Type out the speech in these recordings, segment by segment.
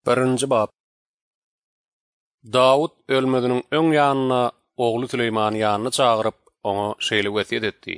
Birinji bap. Dawut ölmeziniň öň ýanynda ogly Süleýmany ýanyna çagyryp, oňa şeýle wesýet etdi.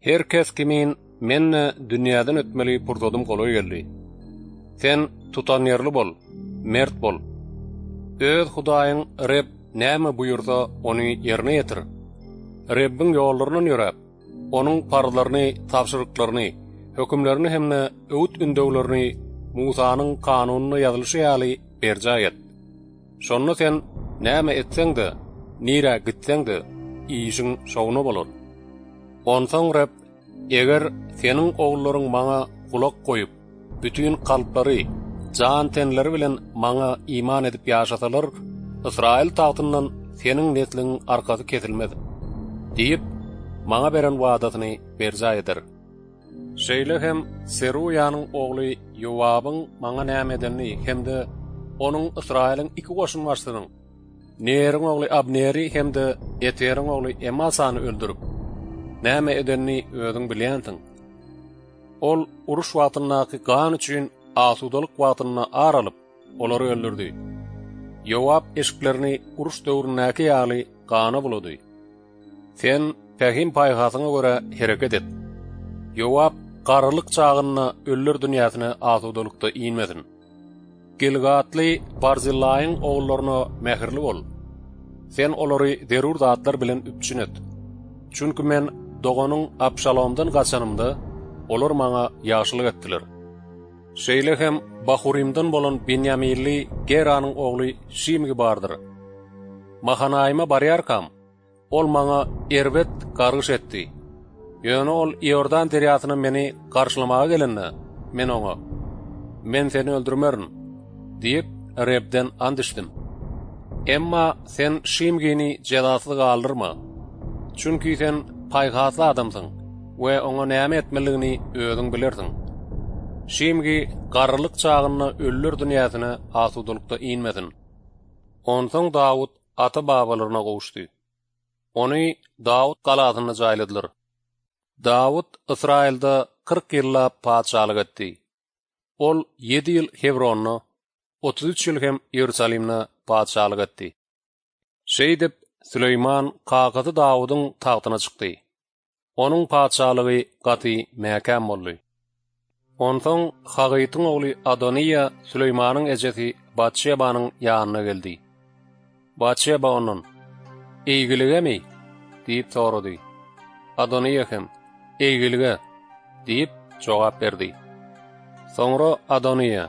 Her kes kimin men-de dünýäden ötmeli pursadym golaý geldi. Sen tutanýerli bol, mert bol. Öz Hudaýyň Reb näme buýursa, ony ýerine ýetir. Rebbiň ýollaryndan ýöräp, Onuň parzlaryny, tabşyryklaryny, hökümlerini hem-de öwüt-ündewlerini Musanyň kanunynda ýazylyşy ýaly berjaý et. Şonda sen näme etseň-de, nirä gitseň-de, işiň şowuna bolar. Onsoň Reb, Eger seniň ogullaryň Maňa gulak goýup, bütin kalplary, jan-tenleri bilen Maňa iman edip ýaşasalar, Ysraýyl tagtyndan seniň nesliňiň arkasy kesilmez diýip, Maňa beren wadasyny berjaý eder. Şeýle hem Seruýanyň ogly Ýowabyň Maňa näme edenini hem-de onuň Ysraýylyň iki goşunbaşysynyň, Neriň ogly Abneri hem-de Eteriň ogly Emasany öldürip, näme edenini özüň bilýänsiň. Ol uruş wagtyndaky gan üçin asudalyk wagtynda ar alyp, olary öldürdi. Ýowap eşiklerini uruş döwründäki ýaly gana bulady. Sen pähim-paýhasyňa görä hereket et. Ýowap garrylyk çagynda ölüler dünýäsine asudalykda inmesin. Gilgatly Barzyllaýyň ogullaryna mähirli bol. Sen olary zerur zatlar bilen üpjün et. Çünki men doganyň Abşalomdan gaçanymda, olar maňa ýagşylyk etdiler. Şeýle hem Bahurimden bolan benýaminli Geranyň ogly Şimgi bardyr. Mahanaýyma barýarkam, Ol maňa erbet gargyş etdi. Ýöne ol Iordan derýasyna meni garşylamaga gelende, men oňa, Men seni öldürmerin diýip, Rebden ant içdim. Emma sen Şimgini jezasyz galdyrma. Çünki sen paýhasly adamsyň we oňa näme etmelidigini özüň bilersiň. Şimgi garrylyk çagynda ölüler dünýäsine asudalykda inmesin. Onsoň Dawut ata-babalaryna gowuşdy. Ony Dawut galasynda jaýladylar. Dawut Ysraýylda 40 ýyllap patyşalyk etdi. Ol ýedi ýyl Hebronda, 33 ýyl hem Iýerusalimde patyşalyk etdi. Şeýdip, Süleýman kakasy Dawudyň tagtyna çykdy. Onuň patyşalygy gaty mäkäm boldy. Onsoň Hagytyň ogly Adonyýa Süleýmanyň ejesi Batşebanyň ýanyna geldi. Batşeba ondan, Eýgiligemi? diýip sorady. Adonyýa hem, Eýgilige diýip jogap berdi. Soňra Adonyýa,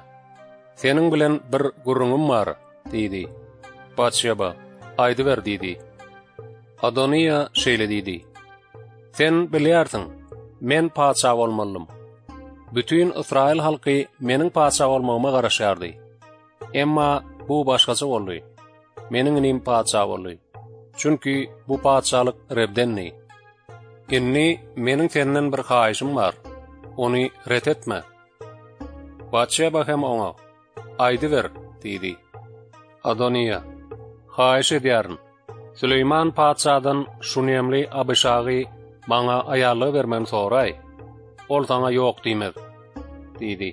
Seniň bilen bir gürrüňim bar diýdi. Batşeba, Aýdyber diýdi. Adonyýa şeýle diýdi, Sen bilýärsiň, men patyşa bolmalydym. Bütin ysraýyl halky meniň patyşa bolmagyma garaşýardy. Emma bu başgaça boldy. Meniň inim patyşa boldy. Çünki bu patyşalyk Rebdendi. Indi meniň senden bir haýyşym bar. Ony ret etme. Batşeba hem oňa, Aýdyber diýdi. Adonyýa, Haýyş edýärin, Süleýman patyşadan şunemli Abyşagy maňa aýallyga bermegini soraý. Ol saňa ýok diýmez diýdi.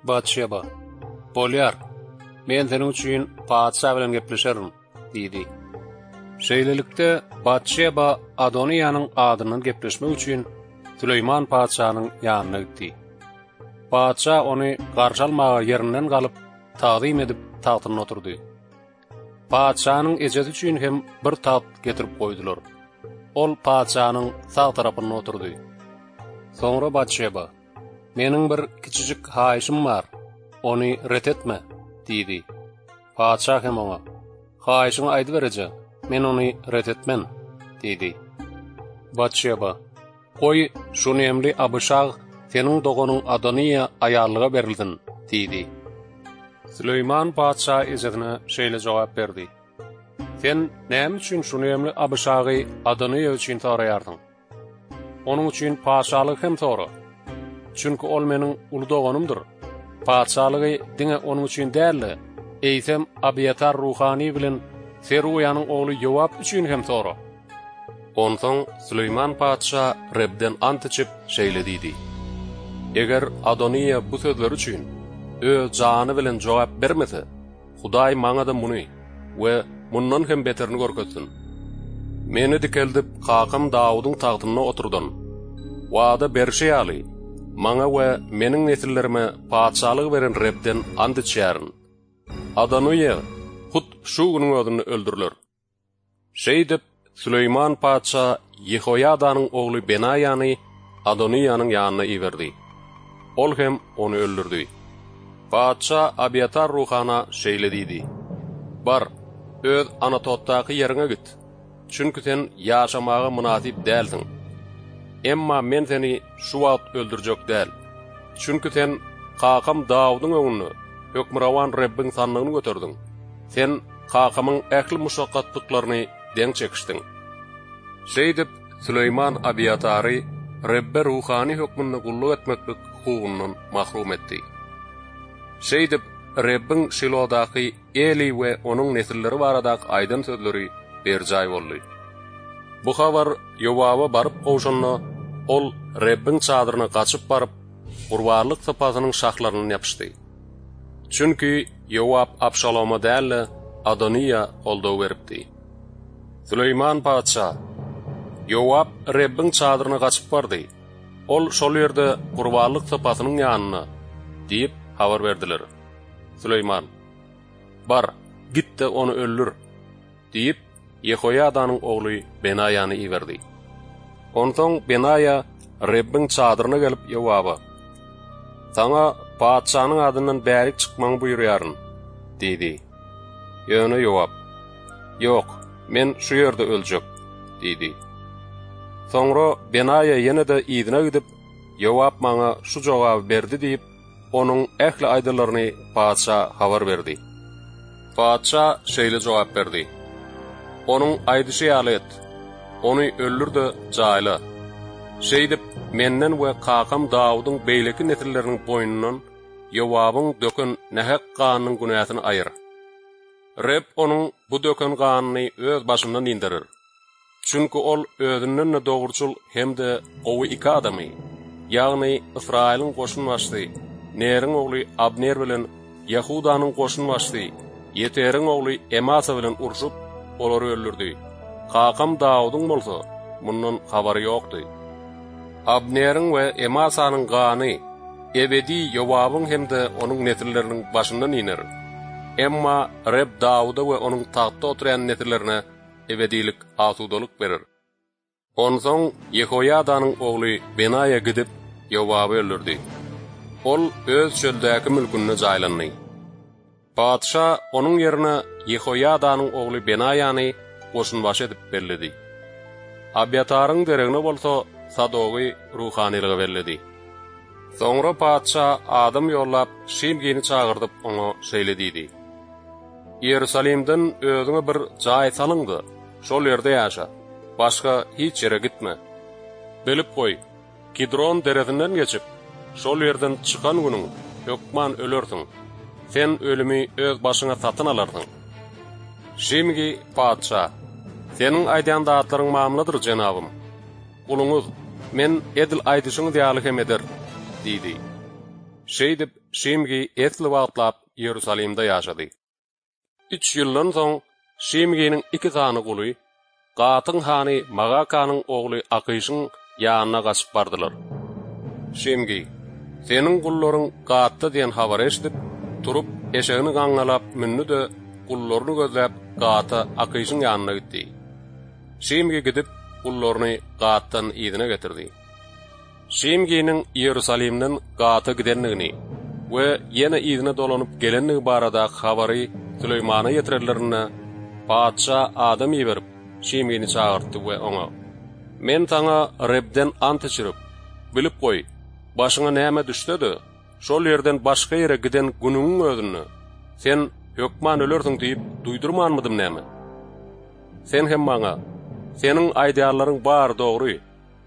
Batşeba, Bolýar, men seniň üçin patyşa bilen gepleşerin diýdi. Şeýlelikde, Batşeba Adonyýanyň adyndan gepleşmek üçin Süleýman patyşanyň ýanyna gitdi. Patyşa ony garşy almaga ýerinden galyp, tagzym edip, tagtynda oturdy. Patyşanyň ejesi üçin hem bir tagt getirip goýdular. Ol patyşanyň sag tarapynda oturdy. Soňra Batşeba, Meniň bir kiçijik haýyşym bar, ony ret etme diýdi. Patyşa hem oňa, Haýyşyňy aýdyber eje, men ony ret etmen diýdi. Batşeba, Goý, şunemli Abyşag seniň doganyň Adonyýa aýallyga berilsin diýdi. Süleýman patyşa ejesine şeýle jogap berdi, Sen näme üçin şunemli Abyşagy Adonyýa üçin soraýarsyň? Onuň üçin patyşalygy hem sora. Çünki ol meniň uly doganymdyr. Patyşalygy diňe onuň üçin däl-de, eýsem Abyýatar ruhany bilen Seruýanyň ogly Ýowap üçin hem sora. Onsoň Süleýman patyşa Rebden ant içip, şeýle diýdi, Eger Adonyýa bu sözleri üçin. öz jany bilen jogap bermese, Hudaý maňa-da muny we mundan hem beterini görkezsin. Meni dikeldip, kakam Dawudyň tagtynda oturdan, wada berşi ýaly, maňa we meniň nesillerime patyşalygy beren Rebden ant içýärin. Adonyýa hut şu günüň özünde öldüriler. Şeýdip, Süleýman patyşa Ýehoýadanyň ogly Benaýany Adonyýanyň ýanyna iberdi. Ol hem ony öldürdi. Patyşa Abyýatar ruhana şeýle diýdi, Bar, öz Anatotdaky ýeriňe git, çünki sen ýaşamaga mynasyp dälsiň. Emma men seni şu wagt öldürjek däl. Çünki sen kakam Dawudyň öňünde Hökmürowan Rebbiň sandygyny göterdiň. Sen kakamyň ähli muşakgatlyklaryny deň çekişdiň. Şeýdip, Süleýman Abyýatary Rebbe ruhany hökmünde gulluk etmeklik hukugyndan mahrum etdi. Şeýdip, Rebbiň Şilodaky Eli we onuň nesilleri baradaky aýdan sözleri berjaý boldy. Bu habar Ýowaba baryp gowşanda, ol Rebbiň çadyryna gaçyp baryp, gurbanlyk sypasynyň şahlaryndan ýapyşdy. Çünki Ýowap Abşaloma däl-de, Adonyýa goldaw beripdi. Süleýman patyşa, Ýowap Rebbiň çadyryna gaçyp bardy. Ol şol ýerde gurbanlyk sypasynyň ýanynda diýip habar berdiler. Süleýman, Bar, git-de ony öldür! Diýip, Ýehoýadanyň ogly Benaýany iberdi. Onsoň Benaýa Rebbiň çadyryna gelip Ýowaba, Saňa patyşanyň adyndan bärik çykmagyňy buýurýaryn diýdi. Ýöne Ýowap, Ýok, men şu ýerde öljek diýdi. Soňra Benaýa ýene-de yzyna gidip, Ýowap maňa şu jogaby berdi diýip, onuň ähli aýdanlaryny patyşa habar berdi. Patyşa şeýle jogap berdi, Onuň aýdyşy ýaly et, ony öldür-de jaýla. Şeýdip, menden we kakam Dawudyň beýleki nesilleriniň boýnundan Ýowabyň döken nähak ganynyň günäsini aýyr. Reb onuň bu döken ganyny öz başyndan inderer. Çünki ol özünden-de dogruçyl hem-de gowy iki adamy, ýagny Ysraýylyň goşunbaşysy Neriň ogly Abner bilen Ýahudanyň goşunbaşysy Ýeteriň ogly Emasa bilen urşup, olary öldürdi. Kakam Dawudyň bolsa, mundan habary ýokdy. Abneriň we Emasanyň gany ebedi Ýowabyň hem-de onuň nesilleriniň başyndan iner. Emma Reb Dawuda we onuň tagtda oturýan nesillerine ebedilik asudalyk berer. Onsoň Ýehoýadanyň ogly Benaýa gidip, Ýowaby öldürdi. Ol öz çöldäki mülkünde jaýlandy. Patyşa onuň ýerine Ýehoýadanyň ogly Benaýany goşunbaşy edip belledi. Abýataryň deregine bolsa Sadogy ruhanylyga belledi. Soňra patyşa adam ýollap, Şimgini çagyrdyp, oňa şeýle diýdi, Iýerusalimden özüňe bir jaý salyň-da, şol ýerde ýaşa, başga hiç ýere gitme. Bilip goý, Kidron deresinden geçip, şol ýerden çykan günüň hökman ölersiň. Sen ölümi öz başyňa satyn alarsyň. Şimgi patyşa, Seniň aýdýan zatlaryň mamladyr, jenabym. Guluňyz, men edil aýdyşyňyz ýaly hem eder diýdi. Şeýdip, Şimgi esli wagtlap Iýerusalimde ýaşady. Üç ýyldan soň Şimginiň iki sany guly Gatyň hany Magakanyň ogly Akyşyň ýanyna gaçyp bardylar. Şimgi, Seniň gullaryň Gatda diýen habary eşidip, turup, eşegini gaňňalap mündi-de, gullaryny gözläp, Gata Akyşyň ýanyna gitdi. Şimgi gidip, gullaryny Gatdan yzyna getirdi. Şimginiň Iýerusalimden Gata gidendigini we ýene yzyna dolanyp gelendigi baradaky habary Süleýmana ýetirenlerinde, patyşa adam iberip, Şimgini çagyrtdy we oňa, Men saňa Rebden ant içirip, Bilip goý, başyňa näme düşse-de, şol ýerden başga ýere giden günüňiň özünde, sen hökman ölersiň diýip duýdurmanmydym näme? Sen hem maňa, Seniň aýdýanlaryň bary dogry,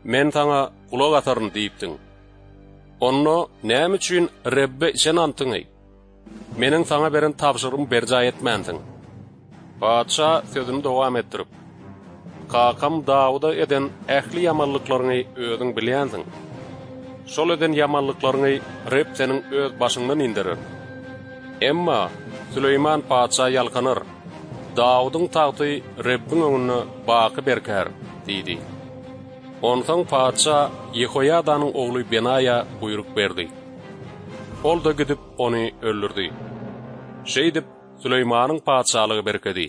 Men saňa gulak asaryn diýipdiň. Onda näme üçin Rebbe içen antyňy, meniň saňa beren tabşyrygymy berjaý etmänsiň? Patyşa sözüni dowam etdirip, Kakam Dawuda eden ähli ýamanlyklaryňy özüň bilýänsiň. Şol eden ýamanlyklaryňy Reb seniň öz başyňdan inderer. Emma Süleýman patyşa ýalkanar, Dawudyň tagty Rebbiň öňünde baky berkär diýdi. Onsoň patyşa Ýehoýadanyň ogly Benaýa buýruk berdi. Ol-da gidip, ony öldürdi. Şeýdip, Süleýmanyň patyşalygy berkedi.